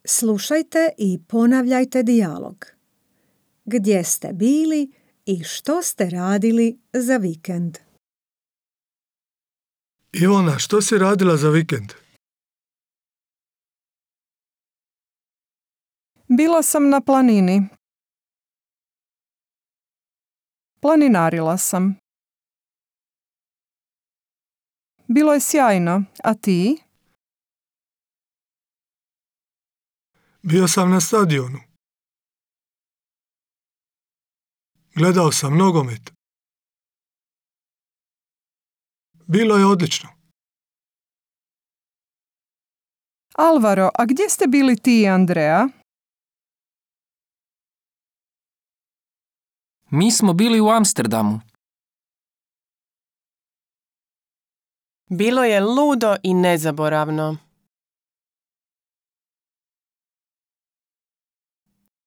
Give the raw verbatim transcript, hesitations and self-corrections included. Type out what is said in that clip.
Slušajte i ponavljajte dijalog. Gdje ste bili i što ste radili za vikend? Ivana, što si radila za vikend? Bila sam na planini. Planinarila sam. Bilo je sjajno, a ti? Bio sam na stadionu. Gledao sam nogomet. Bilo je odlično. Alvaro, a gdje ste bili ti i Andrea? Mi smo bili u Amsterdamu. Bilo je ludo i nezaboravno.